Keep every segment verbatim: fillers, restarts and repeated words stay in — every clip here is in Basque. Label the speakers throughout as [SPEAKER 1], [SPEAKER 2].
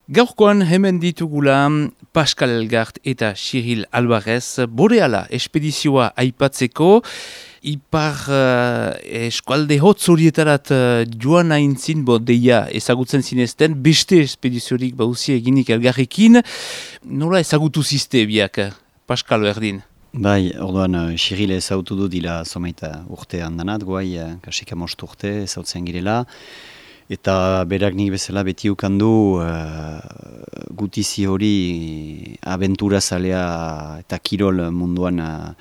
[SPEAKER 1] Gaurkoan hemen ditugula Pascal Elgart eta Cyril Alvarez Boreala espedizioa aipatzeko. Ipar uh, eskualde hotz horietarat uh, joan aintzin, bo deia ezagutzen zinezten, beste espediziorik bauzi eginik elgarrekin. Nola ezagutu zizte biak, Pascal Berdin?
[SPEAKER 2] Bai, orduan, Cyril ezagutu du dila somaita urte handanat, guai, kasika most urte ezautzen girela. Eta berak nik bezala beti ukandu uh, gutizi hori abentura zalea eta kirol munduan uh,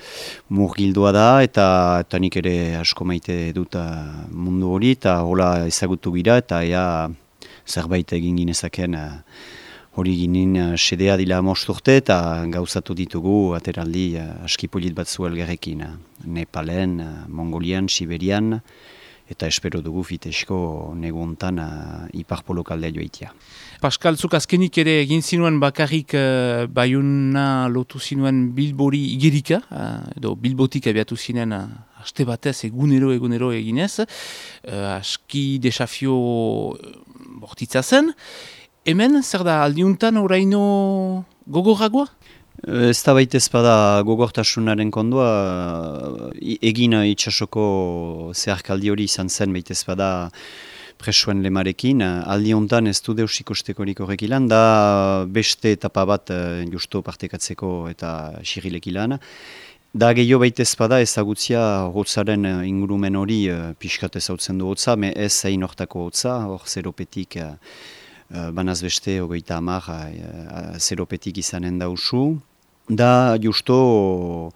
[SPEAKER 2] murgildua da, eta, eta nik ere asko maite dut uh, mundu hori, eta hola ezagutu gira, eta ea zerbait egin ginezaken uh, hori ginen uh, sedea dila most urte, eta gauzatu ditugu ateraldi uh, askipolit batzu elgarrekin. Uh, Nepalen, uh, Mongolian, Siberian, eta espero dugu fitesko neguntan uh, iparpolokaldea joitia.
[SPEAKER 1] Pascal, zuk azkenik ere egin zinuen bakarrik uh, Baiuna lotu zinuen Bilbori igerika, uh, edo Bilbotik abiatu zinen uh, aste batez egunero egunero eginez, uh, aski desafio bortitza zen. Hemen, zer da, aldiuntan oraino gogorragoa?
[SPEAKER 2] Ez da baita ezpada gogortasunaren kondua, egin itxasoko zeharkaldi hori izan zen baita ezpada presoen lemarekin. Aldi honetan ez du deus ikustekorik horrek ilan, da beste etapa bat justo partekatzeko eta Cyrilek ilan. Da gehiago baita ezpada ezagutzia hotzaren ingurumen hori pixkat ezautzen du hotza, me ez hain hortako hotza, hor zeropetik banaz beste hogeita hamar zeropetik izanen dausu. Da justo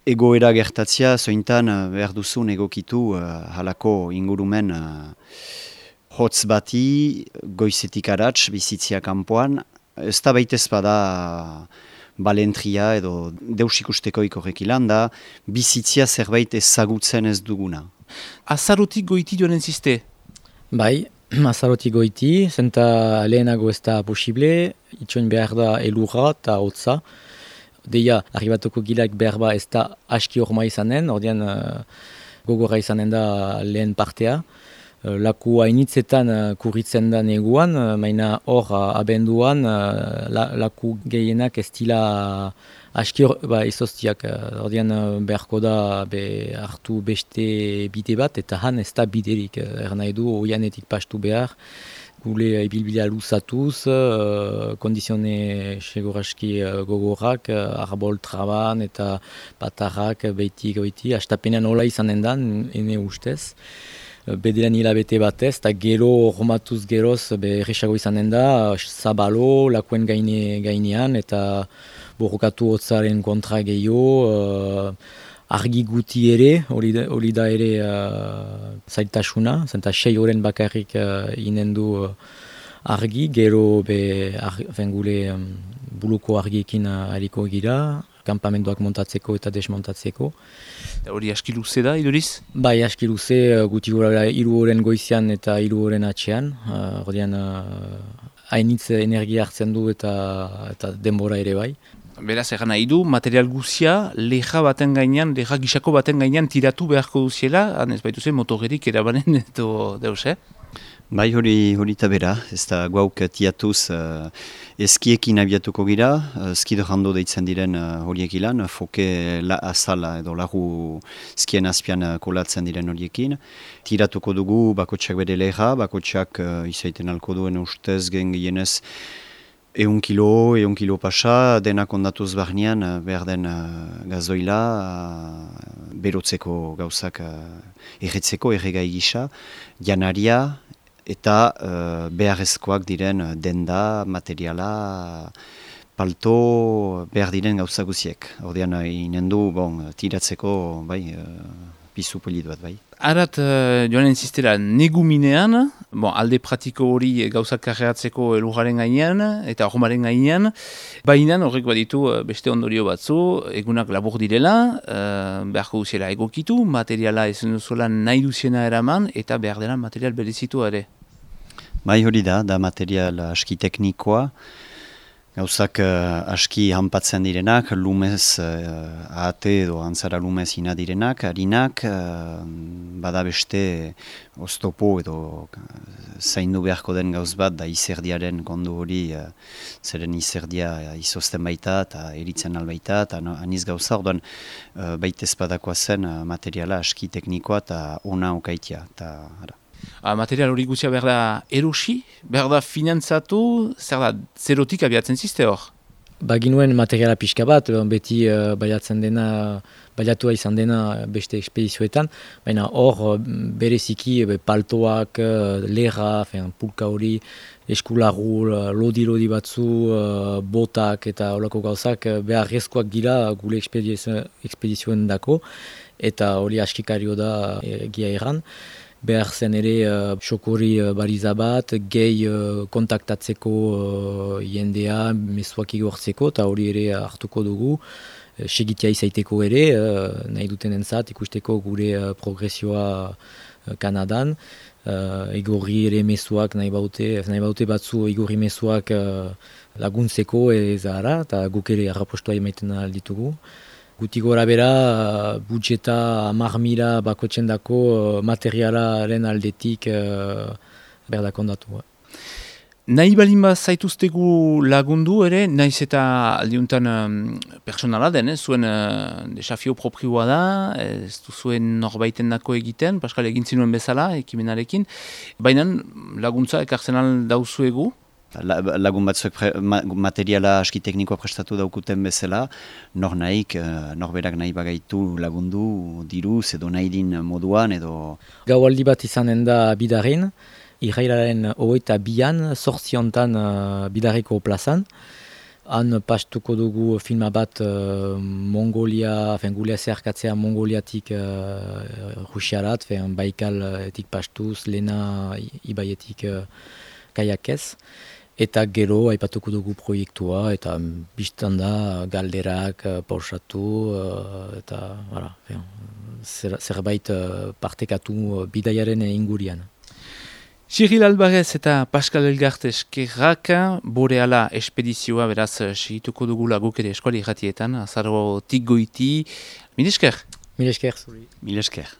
[SPEAKER 2] egoera gertatzia zointan behar duzun egokitu uh, halako ingurumen uh, hotz bati goizetik aratz bizitzia kanpoan. Ez da baitez bada balentria edo deus ikustekoik horrek ilan da bizitzia zerbait ezagutzen ez duguna.
[SPEAKER 1] Azarotik goiti joan entziste?
[SPEAKER 3] Bai, azarotik goiti, zenta lehenago ez da posible, itxoin behar da elurra eta hotza. Deia, arribatuko gilak behar ba ez da aski horma izanen, ordean uh, gogorra izanen da lehen partea. Uh, laku hainitzetan uh, kurritzen da neguan, uh, maina hor uh, abenduan uh, la, laku gehienak ez dila aski hor, ba, izoztiak. Uh, ordean uh, beharko da be, hartu beste bide bat, eta han ez da biderik. Uh, er nahi du, oianetik pastu behar. Gule ibilbidea luzatuz, uh, kondizione seguraski uh, gogorrak, uh, arbol traban eta patarrak behitik goiti, astapenean hola izanen da, ene ustez. Uh, Bedean hilabete batez, eta gero romatuz geroz berresago izanen da, zabalo, lakuen gaine, gainean, eta borrokatu hotzaren kontra gehiago, uh, argi guti ere, hori da, hori da ere uh, zailtasuna, zenta sei horren bakarrik uh, inen du uh, argi, gero be ar, gule um, buluko argiekin uh, hariko gira, kampamenduak montatzeko eta desmontatzeko.
[SPEAKER 1] Hori aski luze da, iduriz?
[SPEAKER 3] Bai, aski luze, uh, guti gura hiru horren goizian eta hiru horren atxean, uh, ordean hainitz uh, energia hartzen du eta, eta denbora ere bai.
[SPEAKER 1] Beraz, egan nahi du, material guzia, leja baten gainean, leja gisako baten gainean tiratu beharko duziela, han ez baitu zen motogerik erabanen edo deus, eh?
[SPEAKER 2] Bai, hori hori eta bera, ez da guauk tiatuz uh, eskiekin abiatuko gira, uh, skido jando deitzen diren uh, horiek ilan, foke la azala edo lagu skien azpian uh, kolatzen diren horiekin. Tiratuko dugu bakotxak bere leja, bakotxak uh, izaiten alko duen ustez gen gehienez Eun kilo, eun kilo pasa, denak ondatuz barnean behar den uh, gazoila, uh, berotzeko gauzak uh, erretzeko, erregai gisa, janaria eta uh, beharrezkoak diren denda, materiala, palto, behar diren gauza guziek. Ordean inen du, bon, tiratzeko, bai, uh, pizu polit bat, bai.
[SPEAKER 1] Arat, uh, joan entzistera, neguminean, bon, alde pratiko hori gauzak karreatzeko elurraren gainean eta hormaren gainean, baina horrek baditu uh, beste ondorio batzu, egunak labur direla, uh, beharko duziela egokitu, materiala ezen duzuela nahi duziena eraman, eta behar dela material berezitu ere.
[SPEAKER 2] Bai hori da, da material aski teknikoa, Gauzak uh, aski hanpatzen direnak, lumez uh, ahate edo antzara lumez ina direnak, harinak, uh, bada beste oztopo edo zaindu beharko den gauz bat da izerdiaren kondu hori, uh, zeren izerdia izozten baita eta eritzen albaita, eta no, aniz gauza, orduan uh, baita ezpadakoa zen uh, materiala aski teknikoa eta ona okaitia. Ta,
[SPEAKER 1] A, material hori guztia behar da erosi, behar da finantzatu, zer da, zerotik abiatzen ziste hor?
[SPEAKER 3] Baginuen materiala pixka bat, beti uh, baiatzen dena, baiatua izan dena beste ekspedizioetan, baina hor bereziki be, paltoak, uh, lerra, fen, pulka hori, eskularu, lodi-lodi batzu, uh, botak eta holako gauzak beharrezkoak gira gure ekspedizioen dako, eta hori askikario da egia erran. Behar zen ere uh, xokori uh, bariza bat, gehi uh, kontaktatzeko uh, jendea, mezuak igortzeko, eta hori ere hartuko dugu. Uh, segitia izaiteko ere, uh, nahi duten entzat, ikusteko gure uh, progresioa uh, Kanadan. Uh, igorri ere mezuak nahi baute, nahi baute batzu igorri mezuak uh, laguntzeko ez ara, eta guk ere arrapostua emaiten alditugu. Guti gora bera, budjeta hamar mila bakotzen dako materialaren aldetik uh, berdakondatu.
[SPEAKER 1] Nahi balin bat zaituztegu lagundu ere, naiz eta aldiuntan um, personala den, eh? Zuen uh, desafio proprioa da, ez du zuen norbaiten dako egiten, Pascal egin zinuen bezala, ekimenarekin, baina laguntza ekartzen al dauzuegu?
[SPEAKER 2] La, lagun batzuek pre, ma, materiala aski teknikoa prestatu daukuten bezala, nor nahik, norberak nahi bagaitu lagundu, diruz edo nahi din moduan edo...
[SPEAKER 3] Gaualdi bat izanen da bidarin, irailaren hogeita bian, sortziontan uh, bidariko plazan. Han pastuko dugu filma bat uh, Mongolia, fen gulea zeharkatzea Mongoliatik uh, Rusiarat, fen Baikaltik pastuz, Lena ibaietik uh, kaiakez. Eta gero aipatuko dugu proiektua, eta biztan da galderak pausatu, eta voilà, zer, zerbait partekatu bidaiaren ingurian.
[SPEAKER 1] Cyril Alvarez eta Pascal Elgart eskerrak, Boreala espedizioa beraz segituko dugula guk ere eskuali irratietan, azarotik goiti. Mil esker?
[SPEAKER 3] Mil esker, zuri.
[SPEAKER 2] Mil esker.